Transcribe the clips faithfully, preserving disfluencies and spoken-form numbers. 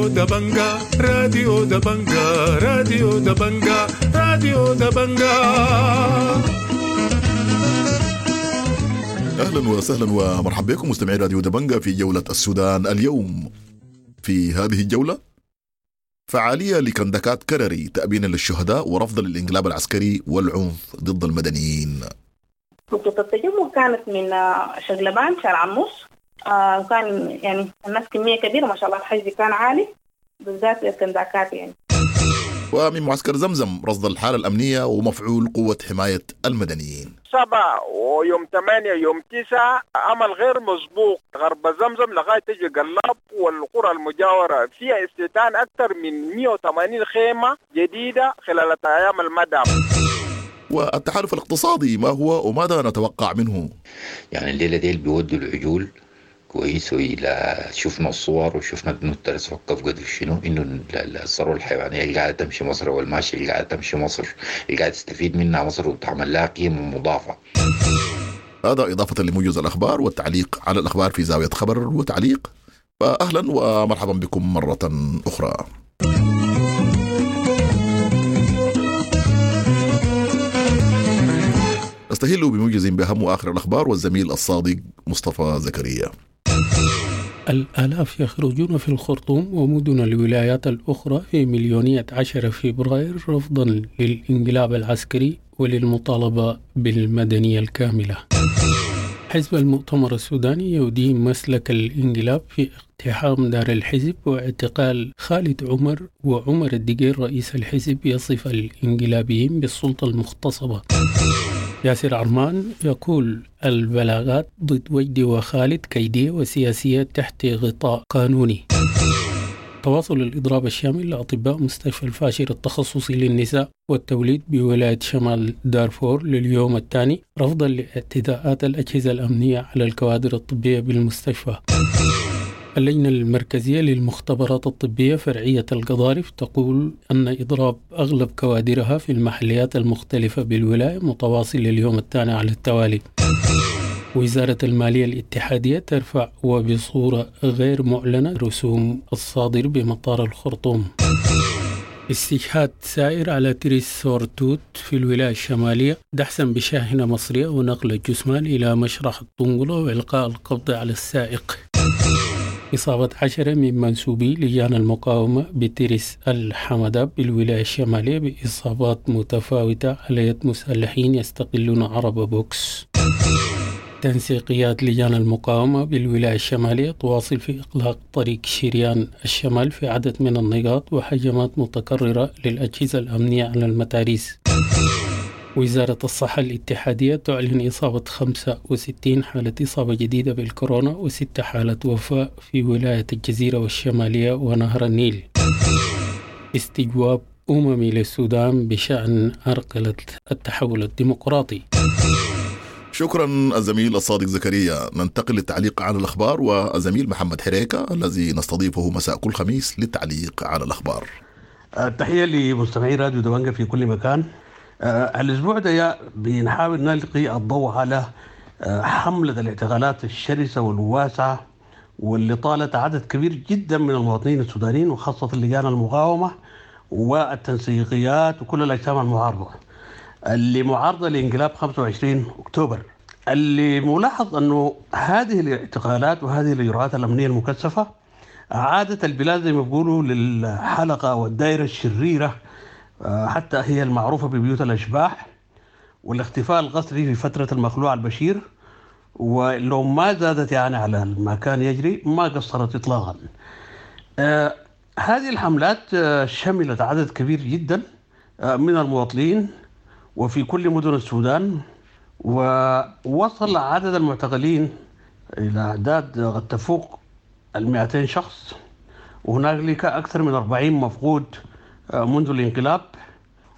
راديو دبنجا، راديو دبنجا، راديو دبنجا، راديو دبنجا. اهلا وسهلا ومرحبا بكم مستمعي راديو دبنجا في جولة السودان اليوم. في هذه الجولة فعالية لكندكات كرري تأبينا للشهداء ورفضا للانقلاب العسكري والعنف ضد المدنيين. نقطة التجمع كانت من شقلبان شارع النص، آه كان يعني الناس كمية كبيرة ما شاء الله، الحجز كان عالي بالذات الكنداكات يعني. ومن معسكر زمزم رصد الحالة الأمنية ومفعول قوة حماية المدنيين. سبعة ويوم ثمانية يوم تسعة عمل غير مسبوق غرب زمزم لغاية تجي قلاب والقرى المجاورة فيها استيطان أكثر من مئة وثمانين خيمة جديدة خلال أيام المدى. والتحالف الاقتصادي ما هو وماذا نتوقع منه؟ يعني الليلة ديل بيودوا العجول كويس، وإلى شفنا الصور وشفنا انه الترس وقف قدر شنو، انه الثروة الحيوانية اللي قاعدة تمشي مصر والماشية اللي قاعدة تمشي مصر اللي قاعدة تستفيد منها مصر وتعمل لها قيمة مضافة. هذا اضافه لموجز الاخبار والتعليق على الاخبار في زاوية خبر وتعليق. فاهلا ومرحبا بكم مرة اخرى. نستهل بموجز باهم واخر الاخبار والزميل الصادق مصطفى زكريا. الآلاف يخرجون في الخرطوم ومدن الولايات الأخرى في مليونية عشرة فبراير رفضا للانقلاب العسكري وللمطالبة بالمدنية الكاملة. حزب المؤتمر السوداني يدين مسلك الانقلاب في اقتحام دار الحزب واعتقال خالد عمر وعمر الدقير رئيس الحزب يصف الانقلابيين بالسلطة المغتصبة. ياسر عرمان يقول البلاغات ضد وجدي وخالد كيدية وسياسية تحت غطاء قانوني. تواصل الإضراب الشامل لأطباء مستشفى الفاشر التخصصي للنساء والتوليد بولاية شمال دارفور لليوم الثاني رفضا لاعتداءات الأجهزة الأمنية على الكوادر الطبية بالمستشفى. اللجنة المركزية للمختبرات الطبية فرعية القضارف تقول أن إضراب أغلب كوادرها في المحليات المختلفة بالولاية متواصل لليوم الثاني على التوالي. وزارة المالية الاتحادية ترفع وبصورة غير معلنة رسوم الصادر بمطار الخرطوم. استشهاد سائر على تريس سورتوت في الولاية الشمالية دحسا بشاحنة مصرية ونقل الجثمان إلى مشرحة الطنقلة وإلقاء القبض على السائق. إصابة عشرة من منسوبي لجان المقاومة بترس الحمداب بالولاية الشمالية بإصابات متفاوتة على يد مسلحين يستقلون عربة بوكس. تنسيقيات لجان المقاومة بالولاية الشمالية تواصل في إغلاق طريق شريان الشمال في عدد من النقاط وهجمات متكررة للأجهزة الأمنية على المتاريس. وزارة الصحة الاتحادية تعلن إصابة خمسة وستين حالة إصابة جديدة بالكورونا وست حالات وفاة في ولاية الجزيرة والشمالية ونهر النيل. استجواب أممي للسودان بشأن عرقلة التحول الديمقراطي. شكرا الزميل الصادق زكريا. ننتقل للتعليق على الأخبار والزميل محمد حريكة الذي نستضيفه مساء كل خميس للتعليق على الأخبار. التحية لمستمعي راديو دبنجا في كل مكان. آه الأسبوع ده بنحاول نلقي الضوء على آه حملة الاعتقالات الشرسة والواسعة واللي طالت عدد كبير جدا من المواطنين السودانيين وخاصة لجان المقاومة والتنسيقيات وكل الأجسام المعارضة اللي معارضة لانقلاب خمسة وعشرين أكتوبر. اللي ملاحظ أنه هذه الاعتقالات وهذه الإجراءات الأمنية المكثفة عادت البلاد زي ما بيقولوا للحلقة والدائرة الشريرة، حتى هي المعروفة ببيوت الأشباح والاختفاء القسري في فترة المخلوع البشير، ولو ما زادت يعني على ما كان يجري ما قصرت إطلاقا. آه هذه الحملات آه شملت عدد كبير جدا آه من المواطنين وفي كل مدن السودان، ووصل عدد المعتقلين إلى أعداد قد تفوق المئتين شخص، وهنالك أكثر من أربعين مفقود منذ الانقلاب.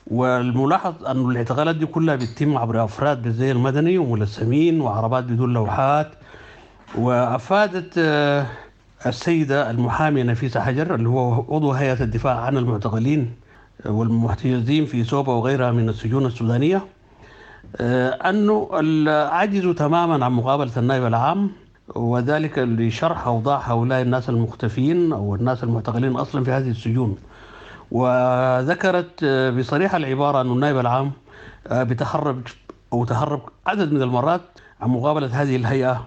والملاحظ أن الاعتقالات دي كلها بتتم عبر أفراد بالزي المدني وملثمين وعربات بدون لوحات. وأفادت السيدة المحامية نفيسة حجر اللي هو عضو هيئة الدفاع عن المعتقلين والمحتجزين في سوبا وغيرها من السجون السودانية أنه عجزوا تماما عن مقابلة النائب العام وذلك لشرح أوضاع هؤلاء الناس المختفين أو الناس المعتقلين أصلا في هذه السجون. وذكرت بصريح العبارة أن النائب العام بتهرب أو تهرب عدد من المرات عن مقابلة هذه الهيئة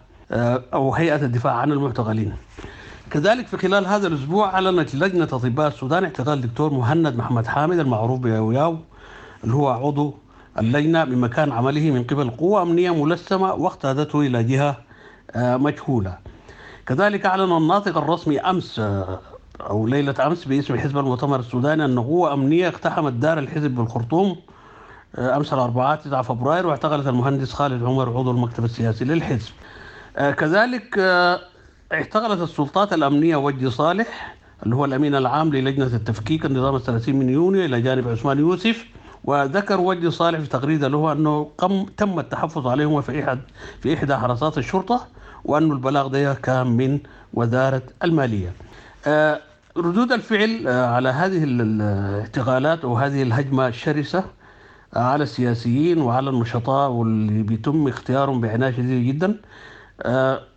أو هيئة الدفاع عن المعتقلين. كذلك في خلال هذا الأسبوع أعلنت لجنة أطباء السودان اعتقال دكتور مهند محمد حامد المعروف بياوياو اللي هو عضو اللجنة من مكان عمله من قبل قوة أمنية ملثمة واقتادته إلى جهة مجهولة. كذلك أعلن الناطق الرسمي أمس أو ليلة أمس باسم حزب المؤتمر السوداني أن قوة أمنية اقتحمت دار الحزب بالخرطوم أمس الأربعاء تسعة فبراير واعتقلت المهندس خالد عمر عضو المكتب السياسي للحزب. كذلك اعتقلت السلطات الأمنية وجدي صالح اللي هو الأمين العام للجنة التفكيك النظام الثلاثين من يونيو إلى جانب عثمان يوسف. وذكر وجدي صالح في تغريدة له أنه قم تم التحفظ عليهما في إحد في إحدى حراسات الشرطة، وأن البلاغ ده كان من وزارة المالية. ردود الفعل على هذه الاعتقالات وهذه الهجمة الشرسة على السياسيين وعلى النشطاء واللي بيتم اختيارهم بعناية شديدة جدا،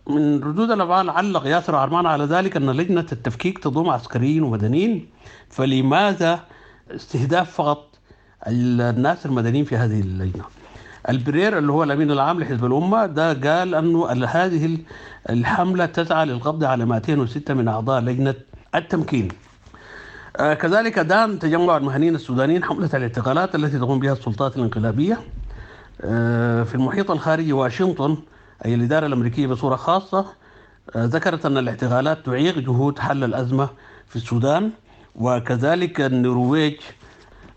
من ردود الأفعال علق ياسر عرمان على ذلك أن لجنة التفكيك تضم عسكريين ومدنيين، فلماذا استهداف فقط الناس المدنيين في هذه اللجنة؟ البرير اللي هو الأمين العام لحزب الأمة ده قال أنه هذه الحملة تسعى للقبض على مئتين وستة من أعضاء لجنة التمكين. كذلك دان تجمع المهنيين السودانيين حملة الاعتقالات التي تقوم بها السلطات الانقلابية في المحيط الخارجي واشنطن، أي الإدارة الأمريكية بصورة خاصة، ذكرت أن الاعتقالات تعيق جهود حل الأزمة في السودان. وكذلك النرويج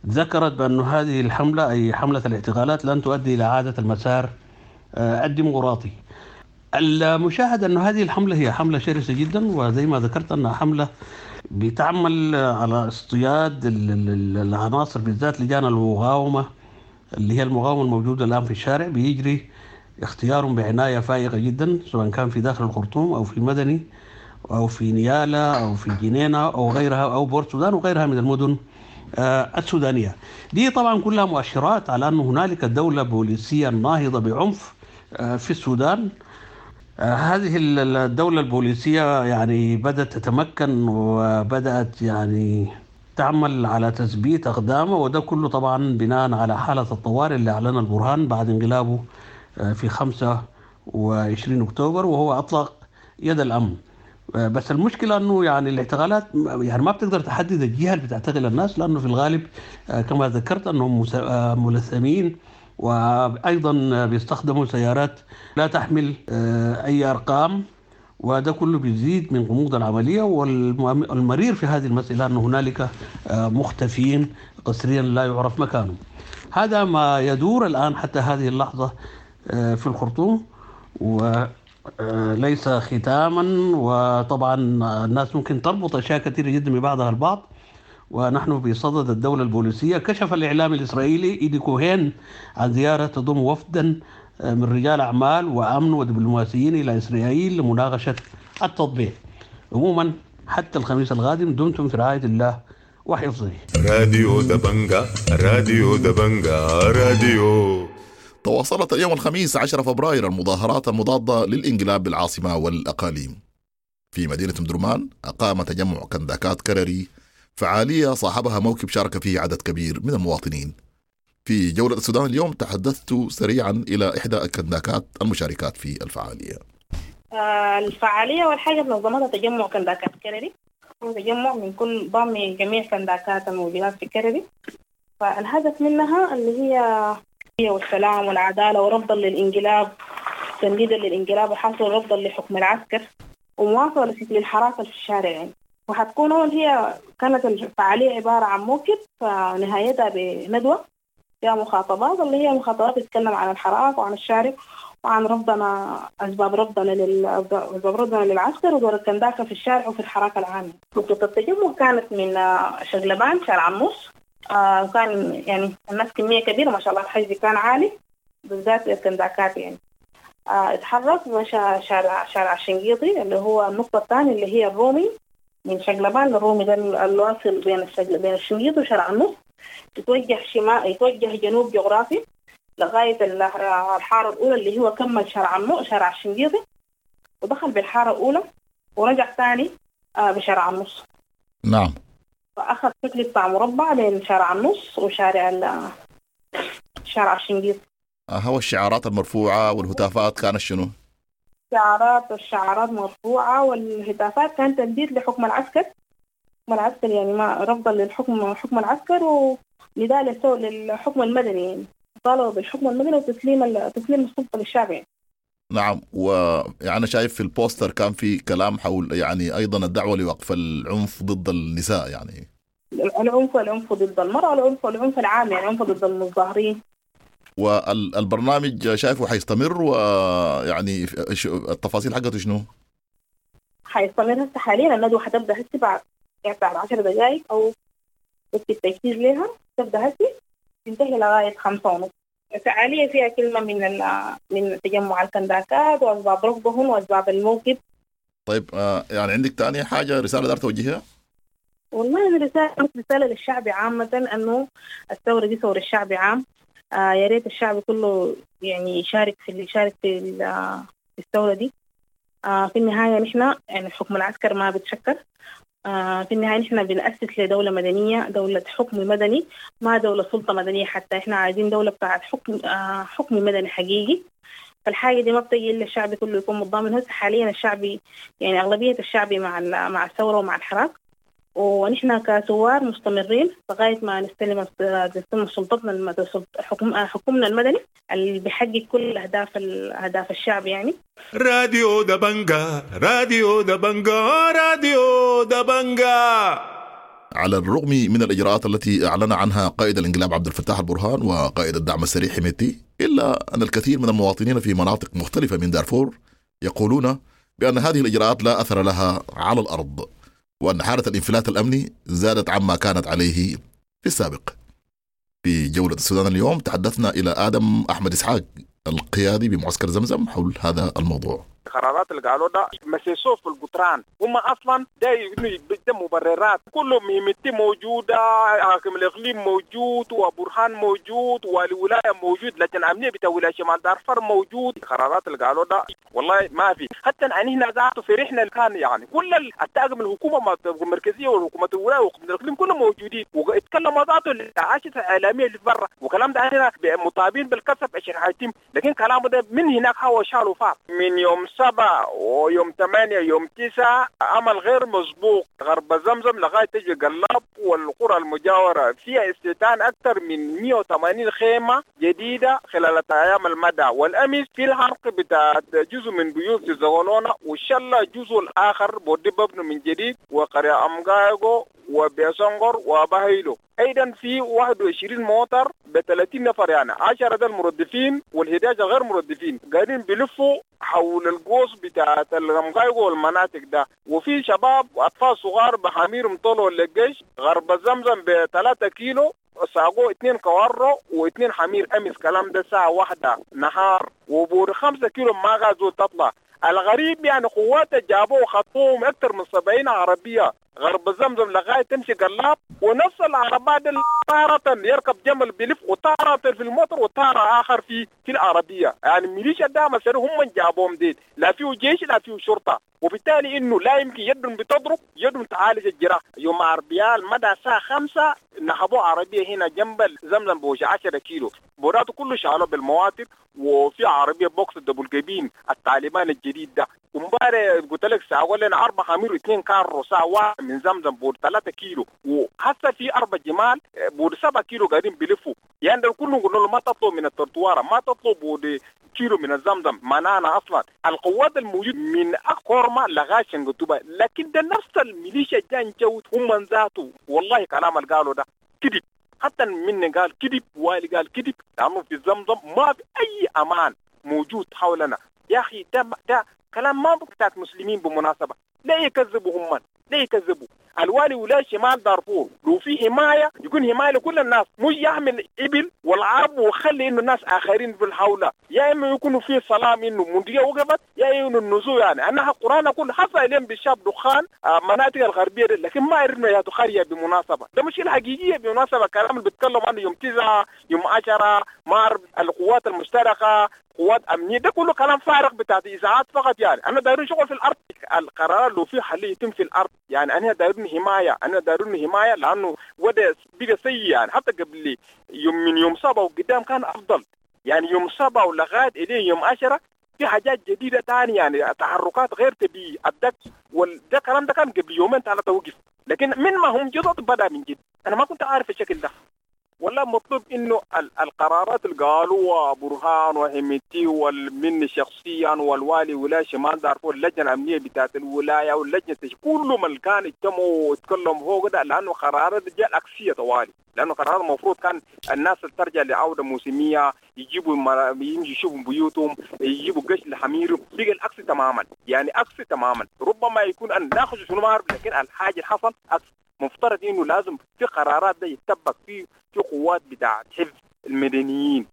ذكرت بأن هذه الحملة أي حملة الاعتقالات لن تؤدي إلى عادة المسار الديمقراطي. المشاهد أن هذه الحملة هي حملة شرسة جدا، وزي ما ذكرت أنها حملة بتعمل على اصطياد العناصر بالذات لجان المقاومة اللي هي المقاومة الموجودة الآن في الشارع، بيجري اختيارهم بعناية فائقة جدا سواء كان في داخل الخرطوم أو في مدني أو في نيالا أو في جنينة أو غيرها أو بورت سودان وغيرها من المدن السودانية. دي طبعا كلها مؤشرات على أن هنالك دولة بوليسية ناهضة بعنف في السودان. هذه الدولة البوليسية يعني بدأت تتمكن وبدأت يعني تعمل على تثبيت أقدامها، وده كله طبعا بناء على حالة الطوارئ اللي أعلنها البرهان بعد انقلابه في خمسة وعشرين أكتوبر، وهو أطلق يد الأمن. بس المشكلة أنه يعني الاعتقالات يعني ما بتقدر تحدد الجهة اللي بتعتقل الناس، لأنه في الغالب كما ذكرت أنهم ملثمين، وأيضا بيستخدموا سيارات لا تحمل أي أرقام، وده كله بيزيد من غموض العملية. والمرير في هذه المسألة أن هنالك مختفين قسريا لا يعرف مكانهم. هذا ما يدور الآن حتى هذه اللحظة في الخرطوم، وليس ختاما. وطبعا الناس ممكن تربط أشياء كثيرة جدا ببعضها البعض، ونحن بصدد الدولة البوليسية. كشف الإعلام الإسرائيلي إيدي كوهين عن زيارة تضم وفدا من رجال أعمال وأمن ودبلوماسيين إلى إسرائيل لمناقشة التطبيع. عموما حتى الخميس القادم دمتم في رعاية الله وحفظه. راديو دبنجا، راديو دبنجا، راديو. تواصلت اليوم الخميس عشرة فبراير المظاهرات المضادة للانقلاب بالعاصمة والأقاليم. في مدينة مدرمان أقام تجمع كنداكات كرري فعالية صاحبها موكب شارك فيه عدد كبير من المواطنين. في جولة السودان اليوم تحدثت سريعا إلى إحدى الكنداكات المشاركات في الفعالية. الفعالية والحاجة نظمتها تجمع كنداكات كرري، تجمع من كل ضم جميع كنداكات الموجودات في كرري. فالهدف منها اللي هي والسلام والعدالة ورفضا للانقلاب، تنديدا للانقلاب وحصل رفضا لحكم العسكر ومواصلة لشكل الحراسة في الشارع يعني. وحتكون هي كانت الفعالية عبارة عن موكب فنهايتها بندوة فيها مخاطبات اللي هي مخاطبات تتكلم عن الحراك وعن الشارع وعن رفضنا أسباب رفضنا لل أسباب رفضنا للعسكر ودور الكنداكة في الشارع وفي الحراك العام. نقطة التجمع كانت من شقلبان شارع النص، آه كان يعني الناس كمية كبيرة ما شاء الله، الحجز كان عالي بالذات الكنداكات يعني. آه اتحرك مشى شارع شارع الشنقيطي اللي هو النقطة الثانية اللي هي الرومي، من شقلبان للرومي ده الواصل بين الشقل بين الشنقيط وشارع النص، يتوجه شمال يتوجه جنوب جغرافي لغاية الحارة الأولى اللي هو كمل شارع النص شارع الشنقيطي. ودخل بالحارة الأولى ورجع ثاني بشارع النص. نعم. فأخذ شكل بتاع مربع بين شارع النص وشارع ال شارع الشنقيط. هو الشعارات المرفوعة والهتافات كانت شنو؟ الشعارات والشعارات مرفوعة والهتافات كانت تنديد لحكم العسكر. حكم العسكر يعني ما رفضا للحكم حكم العسكر ونداء للحكم المدني، يعني طالبوا بالحكم المدني وتسليم تسليم السلطة للشعب يعني. نعم. ويعني أنا شايف في البوستر كان في كلام حول يعني أيضا الدعوة لوقف العنف ضد النساء، يعني العنف والعنف ضد المرأة، العنف والعنف العام، يعني العنف ضد المتظاهرين. والبرنامج شايفه حيستمر، ويعني التفاصيل حقته شنو؟ حيستمر هسه حاليا. الندوة حتبدأ هسه بعد يعني بعد عشر دقائق أو بس التجهيز لها تبدأ هسه تنتهي لغاية خمسة ونص. فعالية فيها كلمة من من تجمع الكنداكات وأسباب رفضهم وأسباب الموقف. طيب يعني عندك تاني حاجة رسالة دار توجيهها؟ والله أنا رسالة رسالة للشعب عامة، أنه الثورة دي ثورة الشعب عام. آه يا ريت الشعب كله يعني يشارك في يشارك في الثورة دي. آه في النهاية نحن يعني حكم العسكر ما بتشكر. آه في النهاية نحن بنأسس لدولة مدنية، دولة حكم مدني، ما دولة سلطة مدنية. حتى إحنا عايزين دولة بتاعت حكم آه حكم مدني حقيقي. فالحاجة دي ما بتجي إلا الشعب كله يكون متضامن. هسه حاليا الشعب يعني أغلبية الشعب مع مع الثورة ومع الحراك، ونحن كثوار مستمرين لغاية ما نستلم نستلم سلطتنا حكم حكمنا المدني اللي بيحقق كل أهداف أهداف الشعب يعني. راديو دبنجا، راديو دبنجا، راديو دبنجا. على الرغم من الإجراءات التي أعلن عنها قائد الانقلاب عبد الفتاح البرهان وقائد الدعم السريع حميدتي، إلا أن الكثير من المواطنين في مناطق مختلفة من دارفور يقولون بأن هذه الإجراءات لا أثر لها على الأرض، وأن حالة الانفلات الأمني زادت عما كانت عليه في السابق. في جولة السودان اليوم تحدثنا إلى آدم أحمد إسحاق القيادي بمعسكر زمزم حول هذا الموضوع. القرارات اللي قالوا ده مسيسوه في القطران، هم اصلا ده ده مبررات، كله مهمتي موجوده، حاكم الاقليم موجود وبرهان موجود والولايه موجود، لكن الامنيه بتاع ولايه شمال دارفور موجود. القرارات اللي قالوا ده والله ما في، حتى ان هنا ذاته فرحنا كان يعني كل الطاقم الحكومه المركزيه وحكومه الولايه وحكومه الاقليم كلهم موجودين، واتكلموا ذاته العاشة الاعلاميه اللي برا، وكلام ده هنا مطالبين بالكسب عشان حيتم، لكن كلامه ده من هناك هو شالوا فار من يوم سبعة ويوم ثمانية يوم تسعة عمل غير مسبوق. غرب زمزم لغاية تجي قلاب والقرى المجاورة فيها استيطان أكثر من مئة وثمانين خيمة جديدة خلال أيام المدى، والأمس في الحرق بتاع جزء من بيوت في زغلونة وشلة جزء الآخر بودي ببنو من جديد وقرية أمغايغو وبيسنغر وبهيلو. ايضا في واحد وعشرين موتر ب ثلاثين نفر، يعني عشرة ده المردفين والحداشر غير مردفين قاعدين بيلفوا حول القوس بتاعت الغمقايق والمناطق ده، وفي شباب واطفال صغار بحمير طلعوا للجيش. غرب زمزم ب ثلاثة كيلو ساقوا اثنين كوارو واثنين حمير امس، كلام ده الساعة واحدة نهار، وبور خمسة كيلو ما غازوا تطلع. الغريب يعني قوات جابوه وخطوهم اكثر من سبعين عربية غرب زمزم لغاية تمشي قلاب، ونفس العربات تارة يركب جمل بلف وتارة في الموتر وتارة آخر في في العربية. يعني ميليشيا دعم السريع هم من جابوهم ديل، لا فيه جيش لا فيه شرطة، وبالتالي إنه لا يمكن يدهم بتضرب يدهم تعالج الجراح. يوم عربية المدى الساعة خمسة نهبوا عربية هنا جنب زمزم بوش عشرة كيلو بوراته كله شالوه بالمواتر، وفي عربية بوكس double cabin الطالبان الجديد ده. ومبارح قلت لك ساعة لنا أربع حمير واثنين كارو ساعة واحد من زمزم بود ثلاثة كيلو، وحتى في أربع جمال بود سبعة كيلو قاعدين بيلفوا. يعني ده كله قلنا له ما تطلب من الترتوارة، ما تطلب بود كيلو من الزمزم، منعنا أصلا القوات الموجود من أكورما لغاية شنقتوبة، لكن ده نفس الميليشيا جان جوت هم ذاته. والله كلام اللي قالوا ده كذب، حتى من قال كذب والي قال كذب، لأنه في زمزم ما في أي أمان موجود حولنا. يا أخي ده ده كلام ما بتاعت مسلمين بمناسبة، لا يكذبوا هم، لا يكذبوا الوالي ولا شمال دارفور. لو في حماية يكون حماية لكل الناس، مش يحمل الإبل والعرب وخلي إنه الناس آخرين في الحولة، يا إما يكونوا في سلام إنه منطقة وقفت، يا إنه النزوع. يعني أنا القرآن أقول حصل إليهم بالشاب دخان مناطق الغربية، لكن ما عرفنا يا دخارية بمناسبة. ده مشكلة حقيقية بمناسبة. كلام اللي بيتكلم عنه يوم تسعة يوم عشرة مار القوات المشتركة قوات امنية، ده كله كلام فارغ بتاع اذاعات فقط. يعني انا دايرين شغل في الارض، القرار لو في حل يتم في الارض. يعني انا دايرين حماية، انا دايرين حماية لانه وضع بقى سيء. يعني حتى قبل يوم من يوم سبعة وقدام كان افضل، يعني يوم سبعة ولغاية اليه يوم عشرة في حاجات جديدة ثانية، يعني تحركات غير طبيعية. الدك وده الكلام ده كان قبل يومين ثلاثة وقف، لكن من ما هم جدد بدا من جد. انا ما كنت عارف الشكل ده. ولا مطلوب انه القرارات اللي قالوها برهان وحميتي والمن شخصيا والوالي ولاية شمال دارفور، اللجنة الامنية بتاعت الولاية واللجنة كل من كان اجتمعوا وتكلموا فوق ده، لانه قرارات جاء العكسيه طوالي. لانه قرار المفروض كان الناس ترجع لعودة موسميه، يجيبوا يمشي يشوفوا بيوتهم، يجيبوا قش لحميرهم، بقى العكس تماما. يعني عكس تماما، ربما يكون ان ناخذ شنو ما اعرف، لكن الحاجة اللي حصل عكس. مفترض انه لازم في قرارات ده يتطبق في في قوات بتاعت حفظ المدنيين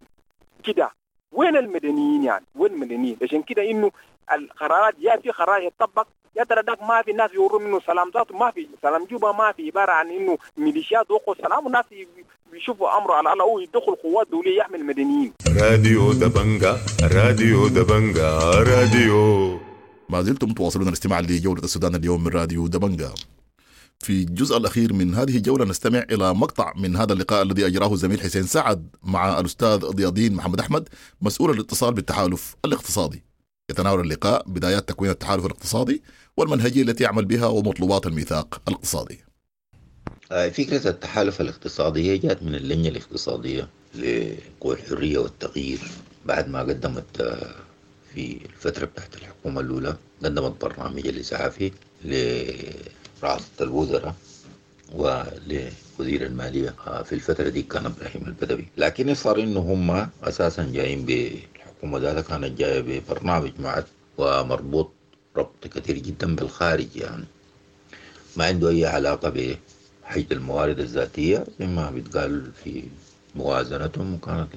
كده. وين المدنيين يعني؟ وين المدنيين؟ عشان كده انه القرارات يا في قرار يتطبق يا ترى داك ما في ناس يوروا منه سلام ذاته، ما في سلام جوبا، ما في عبارة عن انه ميليشيات وقوا سلام والناس بيشوفوا امره على الله ويدخل قوات دولية يحمي المدنيين. راديو دبنجا، راديو دبنجا، راديو. ما زلتم تواصلون الاستماع لجولة السودان اليوم من راديو دبنجا. في الجزء الأخير من هذه الجولة نستمع إلى مقطع من هذا اللقاء الذي أجراه الزميل حسين سعد مع الأستاذ ضياء الدين محمد أحمد مسؤول الاتصال بالتحالف الاقتصادي. يتناول اللقاء بدايات تكوين التحالف الاقتصادي والمنهجية التي يعمل بها ومطلوبات الميثاق الاقتصادي. فكرة التحالف الاقتصادي هي جاءت من اللجنة الاقتصادية لقوى الحرية والتغيير بعد ما قدمت في الفترة بتاعت الحكومة الأولى، قدمت برنامج الإسعافي لرئاسة الوزراء ولوزير المالية في الفترة دي كان إبراهيم البدوي. لكن صار إنه هم أساسا جايين بالحكومة ذاتها كانت جاية ببرنامج معد ومربوط ربط كثير جدا بالخارج، يعني ما عنده أي علاقة بحجة الموارد الذاتية زي ما بيتقال في موازنتهم، وكانت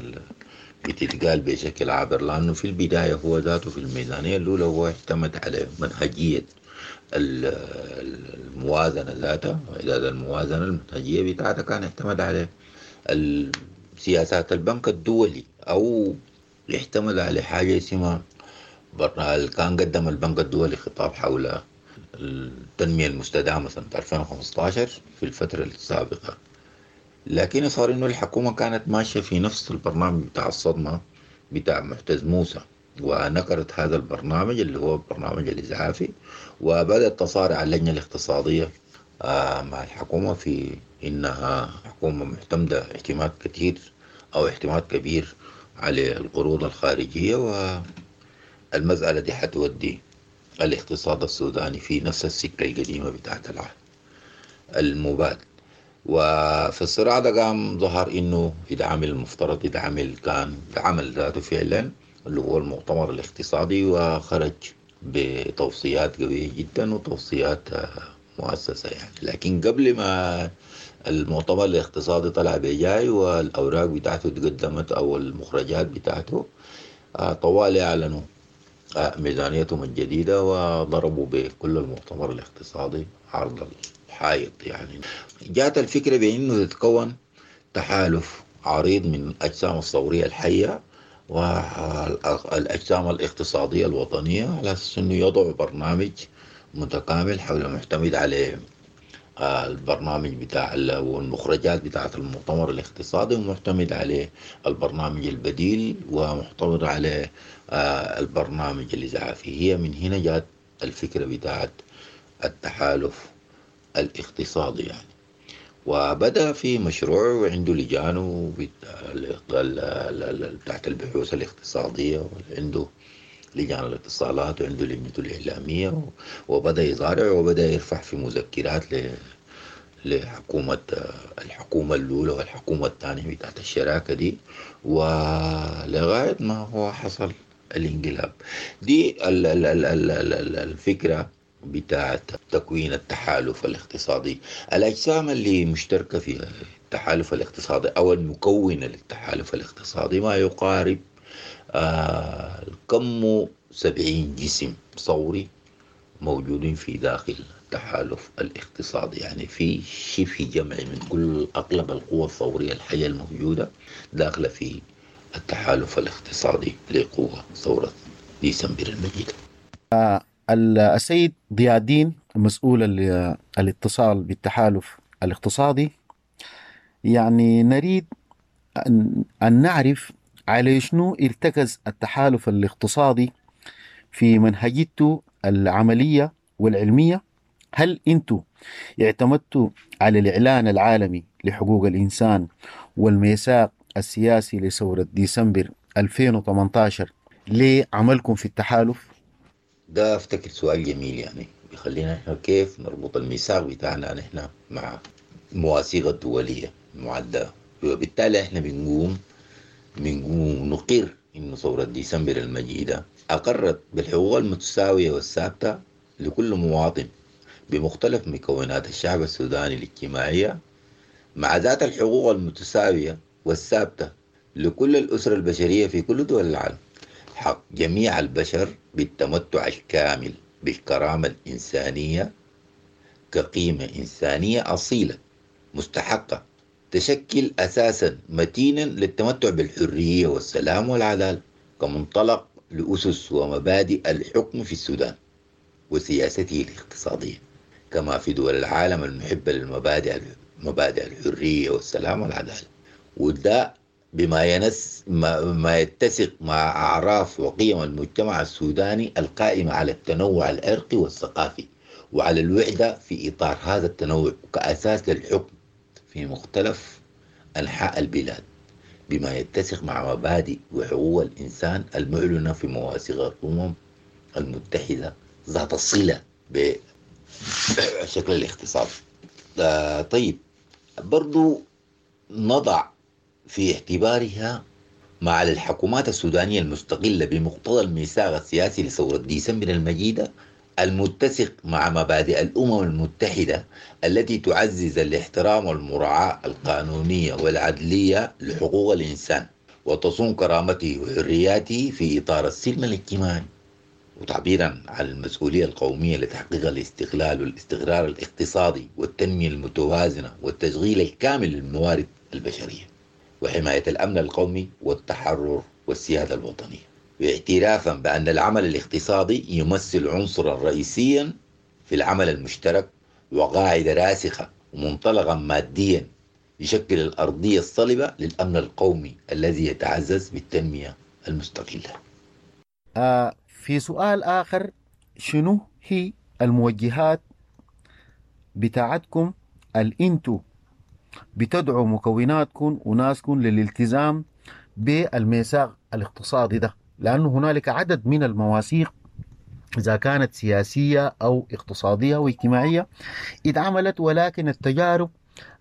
بتتقال بشكل عابر لأنه في البداية هو ذاته في الميزانية الأولى هو اعتمد على منهجية الموازنة ذاتها، وإعداد الموازنة المنهجية بتاعتها كان اعتمد على سياسات البنك الدولي، أو يعتمد على حاجة اسمها كان قدم البنك الدولي خطاب حول التنمية المستدامة سنة ألفين وخمسة عشر في الفترة السابقة. لكن صار إنه الحكومة كانت ماشية في نفس البرنامج بتاع الصدمة بتاع معتز موسى، ونكرت هذا البرنامج اللي هو البرنامج الإسعافي، وبدأت تصارع اللجنة الاقتصادية مع الحكومة في إنها حكومة معتمدة اعتماد كثير أو اعتماد كبير على القروض الخارجية، والمسألة دي حتودي الاقتصاد السوداني في نفس السكة القديمة بتاعت العهد المباد. وفي الصراع ده قام ظهر إنه يدعمل المفترض يدعمل كان عمل ذاته فعلا اللي هو المؤتمر الاقتصادي، وخرج بتوصيات قوية جدا وتوصيات مؤسسة يعني. لكن قبل ما المؤتمر الاقتصادي طلع بجاي والأوراق بتاعته تقدمت أو المخرجات بتاعته، طوال أعلنوا ميزانيتهم الجديدة وضربوا بكل المؤتمر الاقتصادي عرض الحائط. يعني جاءت الفكرة بأنه تتكون تحالف عريض من الأجسام الثورية الحية والأجسام الاقتصادية الوطنية على أساس أنه يضعوا برنامج متكامل حول معتمد على البرنامج بتاع والمخرجات بتاعة المؤتمر الاقتصادي، ومعتمد عليه البرنامج البديل، ومعتمد على البرنامج الإسعافي. هي من هنا جاءت الفكرة بتاعة التحالف الاقتصادي يعني. وبدأ في مشروع وعنده لجانه بتاعت البحوث الاقتصادية، وعنده لجان الاتصالات، وعنده لجنته الإعلامية، وبدأ يزارع وبدأ يرفع في مذكرات لحكومة الحكومة الأولى والحكومة الثانية بتاعت الشراكة دي، ولغاية ما هو حصل الانقلاب. دي الفكرة بتاعت تكوين التحالف الاقتصادي. الأجسام اللي مشتركة في التحالف الاقتصادي أو المكونة للتحالف الاقتصادي ما يقارب آه كم سبعين جسم ثوري موجودين في داخل التحالف الاقتصادي، يعني في شبه جمع من كل أغلب القوى الثورية الحية الموجودة داخلة في التحالف الاقتصادي لقوة ثورة ديسمبر المجيدة. السيد ضياء الدين مسؤول الاتصال بالتحالف الاقتصادي، يعني نريد أن, أن نعرف على شنو ارتكز التحالف الاقتصادي في منهجيته العملية والعلمية. هل أنتم اعتمدتوا على الإعلان العالمي لحقوق الإنسان والميثاق السياسي لثورة ديسمبر ألفين وثمانية عشر لعملكم في التحالف؟ ده افتكر سؤال جميل، يعني بيخلينا احنا كيف نربط الميثاق بتاعنا نحن مع المواثيق الدولية المعدة، وبالتالي احنا بنقوم بنقوم نقر إنه ثورة ديسمبر المجيدة أقرت بالحقوق المتساوية والثابتة لكل مواطن بمختلف مكونات الشعب السوداني الاجتماعية، مع ذات الحقوق المتساوية والثابتة لكل الأسرة البشرية في كل دول العالم، حق جميع البشر بالتمتع الكامل بالكرامة الإنسانية كقيمة إنسانية أصيلة مستحقة تشكل أساسا متينا للتمتع بالحرية والسلام والعدالة كمنطلق لأسس ومبادئ الحكم في السودان وسياسته الاقتصادية، كما في دول العالم المحبة للمبادئ مبادئ الحرية والسلام والعدالة. وده بما ينس ما, ما يتسق مع أعراف وقيم المجتمع السوداني القائمة على التنوع العرقي والثقافي وعلى الوحدة في إطار هذا التنوع كأساس للحكم في مختلف أنحاء البلاد، بما يتسق مع مبادئ وحقوق الإنسان المعلنة في مواثيق الأمم المتحدة ذات الصلة بشكل الاقتصاد. طيب برضو نضع في اعتبارها مع الحكومات السودانية المستقلة بمقتضى الميثاق السياسي لثورة ديسمبر المجيدة المتسق مع مبادئ الأمم المتحدة التي تعزز الاحترام والمراعاة القانونية والعدلية لحقوق الإنسان وتصون كرامته وحرياته في إطار السلم الاجتماعي، وتعبيرا عن المسؤولية القومية لتحقيق الاستقلال والاستقرار الاقتصادي والتنمية المتوازنة والتشغيل الكامل للموارد البشرية وحماية الأمن القومي والتحرر والسيادة الوطنية، واعترافا بأن العمل الاقتصادي يمثل عنصرا رئيسيا في العمل المشترك وقاعدة راسخة ومنطلقا ماديا يشكل الأرضية الصلبة للأمن القومي الذي يتعزز بالتنمية المستقلة. آه في سؤال آخر، شنو هي الموجهات بتاعتكم الانتو بتدعو مكوناتكم وناسكم للالتزام بالميثاق الاقتصادي ده؟ لأنه هنالك عدد من المواثيق إذا كانت سياسية أو اقتصادية واجتماعية اتعملت، ولكن التجارب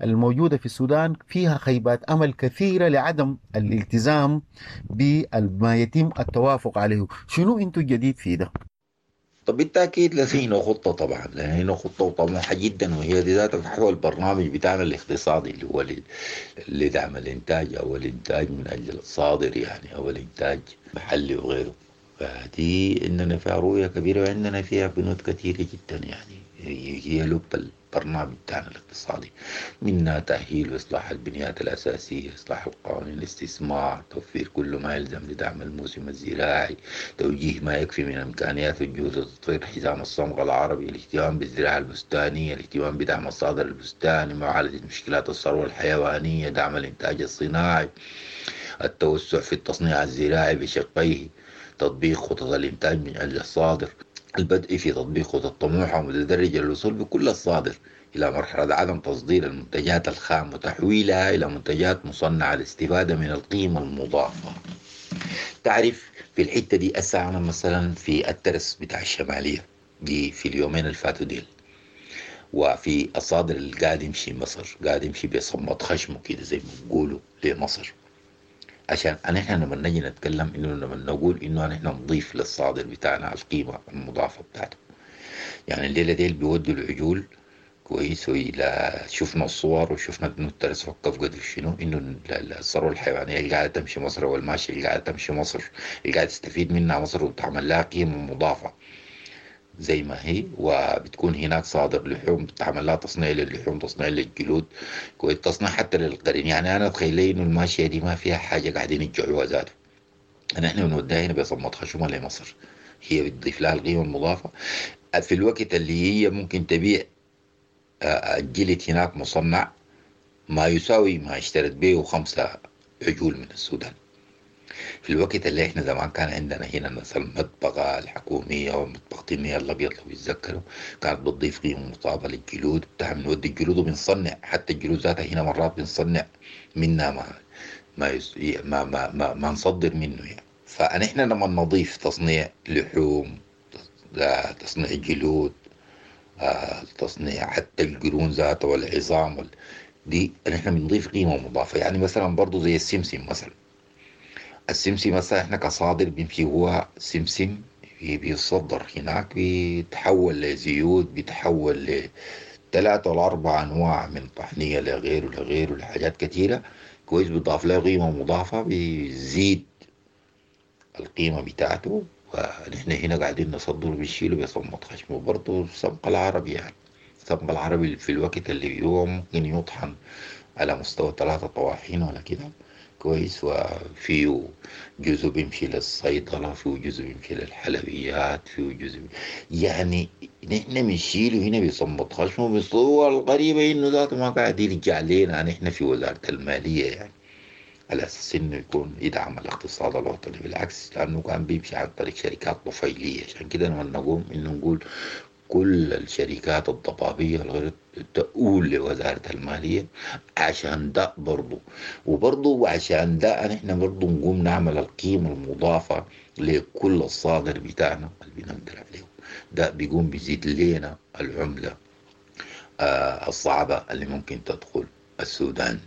الموجودة في السودان فيها خيبات أمل كثيرة لعدم الالتزام بما يتم التوافق عليه. شنو انتو الجديد في ده؟ طب بالتأكيد لدينا خطة، طبعا لدينا خطة وطموحة جدا، وهي دي ذات فحوى البرنامج بتاعنا الاقتصادي اللي هو لدعم الإنتاج أو الإنتاج من أجل الصادر يعني أو الإنتاج محلي وغيره. فدي عندنا فيها رؤية كبيرة وعندنا فيها بنود كثيرة جدا، يعني هي لب البرنامج بتاعنا الاقتصادي، منها تأهيل وإصلاح البنيات الأساسية، إصلاح القوانين الاستثمار، توفير كل ما يلزم لدعم الموسم الزراعي، توجيه ما يكفي من إمكانيات الجهود لتطوير حزام الصمغ العربي، الاهتمام بالزراعة البستانية، الاهتمام بدعم الصادر البستاني، معالجة مشكلات الثروة الحيوانية، دعم الإنتاج الصناعي، التوسع في التصنيع الزراعي بشقيه، تطبيق خطط الإنتاج من أجل الصادر، البدء في تطبيق خطط طموحة ومتدرجة للوصول بكل الصادر إلى مرحلة عدم تصدير المنتجات الخام وتحويلها إلى منتجات مصنعة للاستفادة من القيمة المضافة. تعرف في الحتة دي أسعى أنا مثلا في الترس بتاع الشمالية دي في اليومين اللي فاتوا ديل، وفي الصادر اللي قاعد يمشي مصر، قاعد يمشي بصمت خشمه كده زي ما بيقولوا لمصر، عشان نحن لما نجي نتكلم انه لما نقول انه نحن نضيف للصادر بتاعنا القيمه المضافه بتاعته. يعني الليله ديل بيودوا العجول كويس، والى شفنا الصور وشفنا انه الترس وقف قدر شنو، انه الثروه الحيوانيه اللي قاعده تمشي مصر والماشيه اللي قاعده تمشي مصر اللي قاعده تستفيد منها مصر وتعمل لها قيمه مضافه زي ما هي، وبتكون هناك صادر لحوم، بتعمل لها تصنيع للحوم، تصنيع للجلود، كويس، تصنيع حتى للقرن. يعني أنا أتخيل إنه الماشية دي ما فيها حاجة قاعدين يرجعوها ذاته. نحن بنوديها هنا بصمة خشمها لمصر، هي بتضيف لها القيمة المضافة في الوقت اللي هي ممكن تبيع الجلد هناك مصنع ما يساوي ما اشترت به خمسة عجول من السودان. في الوقت اللي احنا زمان كان عندنا هنا مثلا المطبخة الحكومية ومطبخة النيل الأبيض لو يتذكروا، كانت بتضيف قيمة مضافة للجلود بتاع، بنودي الجلود وبنصنع حتى الجلود ذاتها هنا مرات بنصنع منها ما ما, يس... ما, ما, ما, ما نصدر منه يعني. فنحن لما نضيف تصنيع لحوم، تصنيع جلود، تصنيع حتى القرون ذاتها والعظام وال... دي نحن بنضيف قيمة مضافة. يعني مثلا برضو زي السمسم مثلا، السمسم مثلا احنا كصادر بيمشي هو سمسم بيصدر هناك، بيتحول لزيوت، بيتحول لثلاثة ولا أربع أنواع من طحنية لغيره لغيره لحاجات كثيرة كويس، بيضاف له قيمة مضافة، بيزيد القيمة بتاعته. ونحن هنا قاعدين نصدر بنشيله بصمة خشمه. برضه السمق العربي، يعني السمق العربي في الوقت اللي هو ممكن يطحن على مستوى ثلاثة طواحين ولا كده كويس، وفيه جزء بيمشي للصيدلة، فيه جزء بيمشي للحلويات، فيه جزء بي... يعني نحن بنشيله هنا بصمة خشمه بالصورة الغريبة إنه ذاته ما قاعد يرجع لنا نحن في وزارة المالية، يعني على أساس إنه يكون يدعم الاقتصاد الوطني. بالعكس، لأنه كان بيمشي عن طريق شركات طفيلية. عشان كده لما نقوم إنه نقول كل الشركات الضبابية الغير تؤول لوزارة المالية عشان ده برضو، وبرضو عشان ده نحن برضو نقوم نعمل القيمة المضافة لكل الصادر بتاعنا اللي بنقدر عليه، ده بيقوم بيزيد لنا العملة آه الصعبة اللي ممكن تدخل السودان.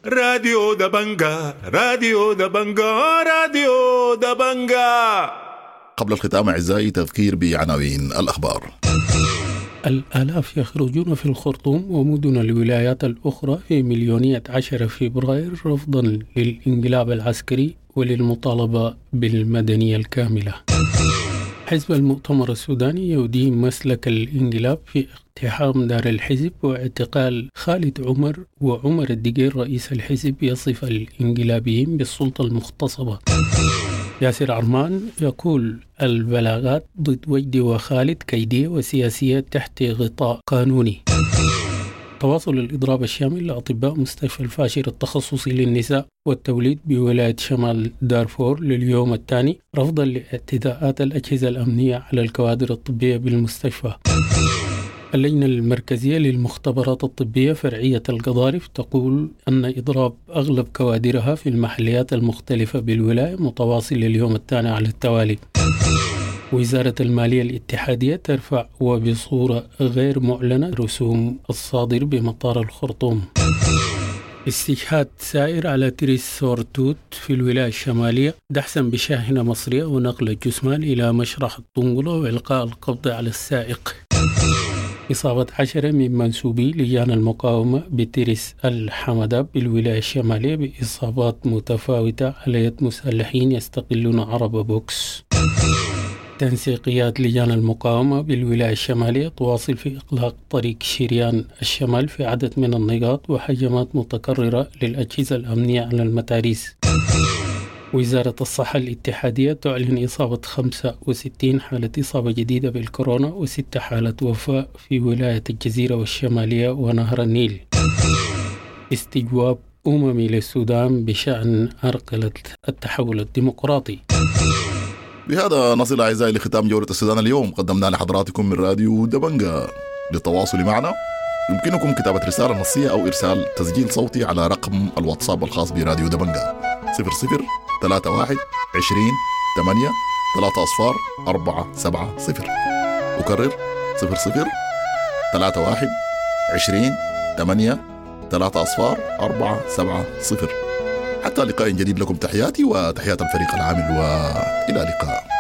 راديو دبنجا، راديو دبنجا، راديو دبنجا. قبل الختام أعزائي تذكير بعناوين الأخبار. الآلاف يخرجون في الخرطوم ومدن الولايات الأخرى في مليونية عشرة فبراير رفضا للانقلاب العسكري وللمطالبة بالمدنية الكاملة. حزب المؤتمر السوداني يدين مسلك الانقلاب في اقتحام دار الحزب واعتقال خالد عمر وعمر الدقير رئيس الحزب يصف الانقلابيين بالسلطة المغتصبة. ياسر عرمان يقول البلاغات ضد وجدي وخالد كيدية وسياسية تحت غطاء قانوني. تواصل الإضراب الشامل لأطباء مستشفى الفاشر التخصصي للنساء والتوليد بولاية شمال دارفور لليوم الثاني رفضا لاعتداءات الأجهزة الأمنية على الكوادر الطبية بالمستشفى. اللجنة المركزية للمختبرات الطبية فرعية القضارف تقول أن إضراب أغلب كوادرها في المحليات المختلفة بالولاية متواصل لليوم الثاني على التوالي. وزارة المالية الاتحادية ترفع وبصورة غير معلنة رسوم الصادر بمطار الخرطوم. استشهاد سائر على تريس سورتوت في الولاية الشمالية دحسا بشاحنة مصرية ونقل الجثمان إلى مشرح الطنقلة وإلقاء القبض على السائق. إصابة عشرة من منسوبي لجان المقاومة بترس الحمداب بالولاية الشمالية بإصابات متفاوتة على يد مسلحين يستقلون عربة بوكس. تنسيقيات لجان المقاومة بالولاية الشمالية تواصل في إغلاق طريق شريان الشمال في عدد من النقاط وهجمات متكررة للأجهزة الأمنية على المتاريس. وزارة الصحة الاتحادية تعلن إصابة خمسة وستين حالة إصابة جديدة بالكورونا وست حالة وفاة في ولاية الجزيرة والشمالية ونهر النيل. استجواب أممي للسودان بشأن عرقلة التحول الديمقراطي. بهذا نصل أعزائي لختام جولة السودان اليوم، قدمنا لحضراتكم من راديو دبنجا. للتواصل معنا يمكنكم كتابة رسالة نصية أو إرسال تسجيل صوتي على رقم الواتساب الخاص براديو دبنجا صفر صفر ثلاثة واحد عشرين ثمانية ثلاثة أصفار أربعة سبعة صفر. أكرر صفر صفر ثلاثة واحد عشرين ثمانية ثلاثة أصفار أربعة سبعة صفر. حتى لقاء جديد، لكم تحياتي وتحيات الفريق العامل، وإلى اللقاء.